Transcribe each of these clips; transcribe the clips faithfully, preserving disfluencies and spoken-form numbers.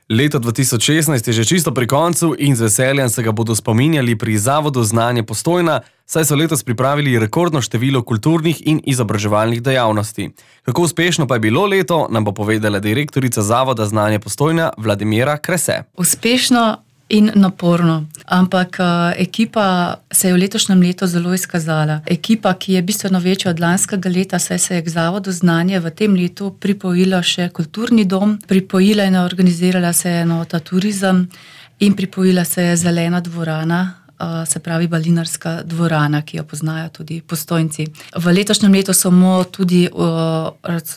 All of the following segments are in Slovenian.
Leto dva tisoč šestnajst je že čisto pri koncu in z veseljem se ga bodo spominjali pri Zavodu Znanje Postojna, saj so letos pripravili rekordno število kulturnih in izobraževalnih dejavnosti. Kako uspešno pa je bilo leto, nam bo povedala direktorica Zavoda Znanje Postojna Vladimira Krese. Uspešno in naporno, ampak uh, ekipa se je v letošnjem letu zelo izkazala. Ekipa, ki je bistveno večja od lanskega leta, saj se je k Zavodu Znanje v tem letu pripojila še kulturni dom, pripojila in organizirala se je enota turizem in pripojila se je zelena dvorana, Uh, se pravi balinarska dvorana, ki jo poznajo tudi Postojnci. V letošnjem letu smo tudi, uh,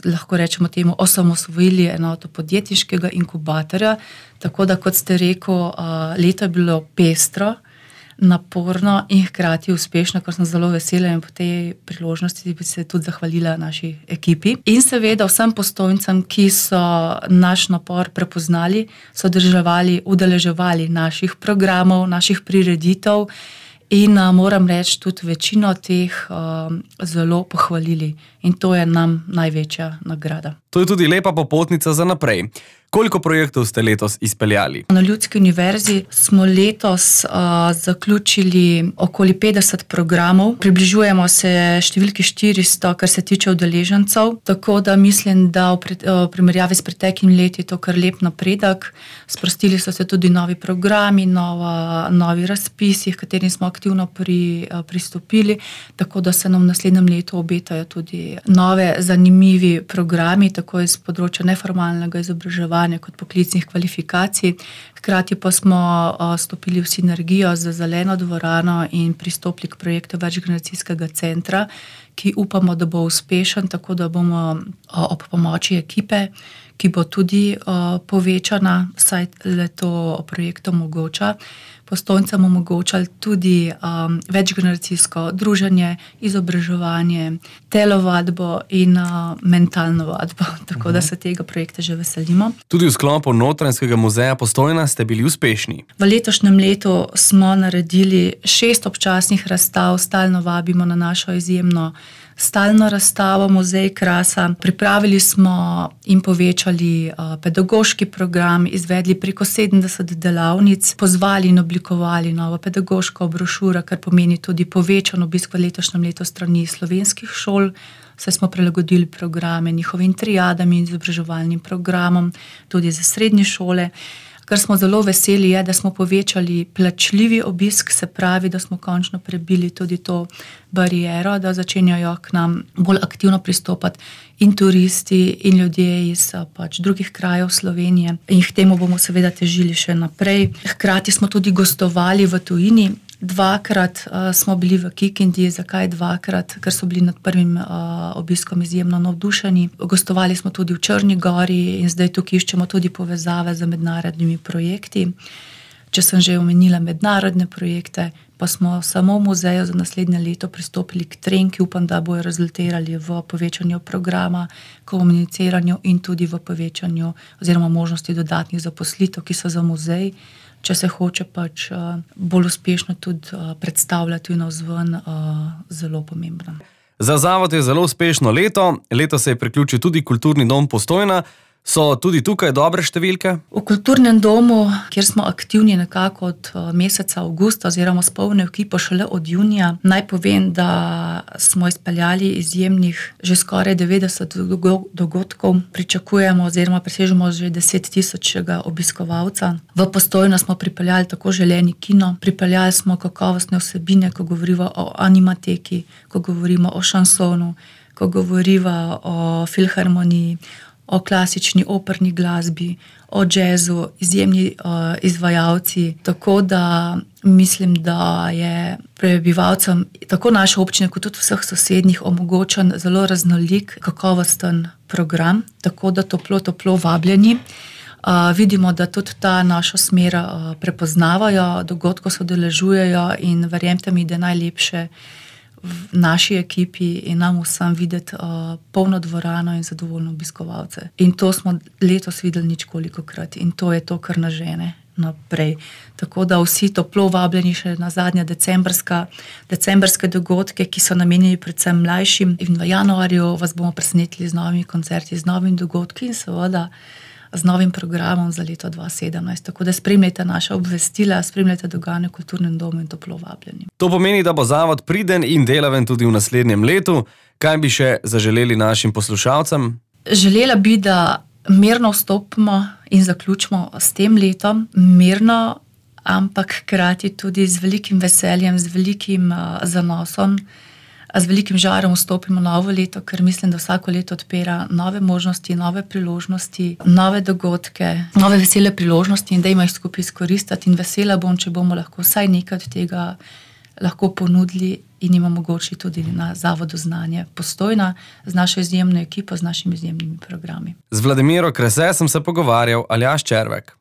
lahko rečemo temu, osamosvojili enoto podjetniškega inkubatorja, tako da, kot ste rekel, uh, leto je bilo pestro, naporno in hkrati uspešno, kar sem zelo vesela in po tej priložnosti bi se tudi zahvalila naši ekipi. In seveda vsem Postojncem, ki so naš napor prepoznali, so državali, udeleževali naših programov, naših prireditev in uh, moram reči, tudi večino teh uh, zelo pohvalili. In to je nam največja nagrada. To je tudi lepa popotnica za naprej. Koliko projektov ste letos izpeljali? Na Ljudski univerzi smo letos uh, zaključili okoli petdeset programov. Približujemo se številki štiristo, kar se tiče udeležencev. Tako da mislim, da v, pred, uh, v primerjavi s preteklimi leti je to kar lep napredek. Sprostili so se tudi novi programi, nova, novi razpisi, katerim smo aktivno pri, uh, pristopili. Tako da se nam v naslednjem letu obetajo tudi nove zanimivi programi, tako iz področja neformalnega izobraževanja kot poklicnih kvalifikacij. Hkrati pa smo uh, stopili v sinergijo z zeleno dvorano in pristopili k projektu večgeneracijskega centra, ki upamo, da bo uspešen, tako da bomo uh, ob pomoči ekipe, ki bo tudi uh, povečana, saj le to projekt omogoča, Postojncem omogočali tudi um, večgeneracijsko druženje, izobraževanje, telovadbo in uh, mentalno vadbo, tako uh-huh. da se tega projekta že veselimo. Tudi v sklopu Notranjskega muzeja Postojna ste bili uspešni. V letošnjem letu smo naredili šest občasnih razstav, stalno vabimo na našo izjemno stalno razstavo Muzej Krasa. Pripravili smo in povečali uh, pedagoški program, izvedli preko sedemdeset delavnic, pozvali in oblikovali novo pedagoško brošuro, kar pomeni tudi povečan obisk v letošnjem letu strani slovenskih šol. Saj smo prilagodili programe njihovim triadam in izobraževalnim programom, tudi za srednje šole. Kar smo zelo veseli je, da smo povečali plačljivi obisk, se pravi, da smo končno prebili tudi to bariero, da začenjajo k nam bolj aktivno pristopati in turisti in ljudje iz pač drugih krajev Slovenije. In k temu bomo seveda težili še naprej. Hkrati smo tudi gostovali v tujini. Dvakrat uh, smo bili v Kikindi, zakaj dvakrat? Ker so bili nad prvim uh, obiskom izjemno navdušeni. Gostovali smo tudi v Črni Gori in zdaj tukaj iščemo tudi povezave z mednarodnimi projekti. Če sem že omenila mednarodne projekte, pa smo samo v muzeju za naslednje leto pristopili k trem, ki upam, da bojo rezultirali v povečanju programa, komuniciranju in tudi v povečanju oziroma možnosti dodatnih zaposlitev, ki so za muzej, če se hoče pač uh, bolj uspešno tudi uh, predstavljati navzven, uh, zelo pomembno. Za zavod je zelo uspešno leto. Leto se je priključil tudi Kulturni dom Postojna. So tudi tukaj dobre številke? V Kulturnem domu, kjer smo aktivni nekako od meseca avgusta oziroma s polno ekipo šele od junija, naj povem, da smo izpeljali izjemnih že skoraj devetdeset dogodkov. Pričakujemo oziroma presežemo že deset tisočega obiskovalca. V Postojno smo pripeljali tako želeni kino, pripeljali smo kakovostne vsebine, ko govorimo o animateki, ko govorimo o šansonu, ko govorimo o filharmoniji, o klasični operni glasbi, o džezu, izjemni uh, izvajalci. Tako da mislim, da je prebivalcem tako naše občine kot tudi vseh sosednjih omogočen zelo raznolik, kakovosten program, tako da toplo, toplo vabljeni. Uh, vidimo, da tudi ta našo smer uh, prepoznavajo, dogodko se udeležujejo in verjemite mi, da je najlepše v naši ekipi in nam vsem videti uh, polno dvorano in zadovoljno obiskovalce. In to smo letos videli ničkolikokrat in to je to, kar nas žene naprej. Tako da vsi toplo vabljeni še na zadnje decembrska, decembrske dogodke, ki so namenjeni predvsem mlajšim. In v januarju vas bomo presenetili z novimi koncerti, z novimi dogodki in seveda z novim programom za leto dva tisoč sedemnajst. Tako da spremljajte naša obvestila, spremljajte dogajanje v Kulturnem domu in toplo vabljeni. To pomeni, da bo zavod priden in delaven tudi v naslednjem letu. Kaj bi še zaželeli našim poslušalcem? Želela bi, da mirno vstopimo in zaključimo s tem letom. Mirno, ampak hkrati tudi z velikim veseljem, z velikim uh, zanosom, z velikim žarom vstopimo novo leto, ker mislim, da vsako leto odpira nove možnosti, nove priložnosti, nove dogodke, nove vesele priložnosti in dajmo jih skupaj izkoristiti. In vesela bom, če bomo lahko vsaj nekaj od tega lahko ponudili in jim omogočili tudi na Zavodu Znanje Postojna z našo izjemno ekipo, z našimi izjemnimi programi. Z Vladimiro Krese sem se pogovarjal, Aljaž Červek.